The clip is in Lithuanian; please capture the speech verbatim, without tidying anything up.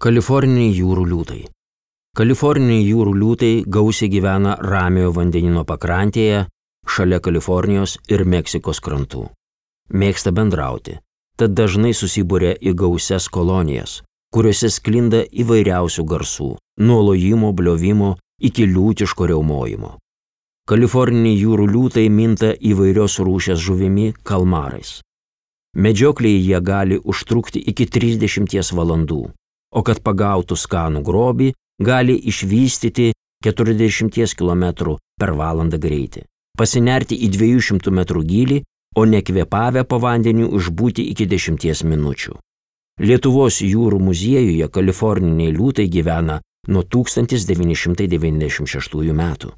Kaliforniniai jūrų liūtai. Kaliforniniai jūrų liūtai gausiai gyvena Ramiojo vandenyno pakrantėje, šalia Kalifornijos ir Meksikos krantų. Mėgsta bendrauti, tad dažnai susibūrė į gausias kolonijas, kuriuose sklinda įvairiausių garsų, nuo lojimo, bliovimo iki liūtiško riaumojimo. Kaliforniniai jūrų liūtai minta įvairios rūšies žuvimi kalmarais. Medžioklėje jie gali užtrukti iki trisdešimties valandų, o kad pagautų skanų grobį, gali išvystyti keturiasdešimties kilometrų per valandą greitį, pasinerti į dviejų šimtų metrų gylį, o nekvėpavę po vandeniu išbūti iki dešimties minučių. Lietuvos jūrų muziejuje kaliforniniai liūtai gyvena nuo tūkstantis devyni šimtai devyniasdešimt šeštųjų metų.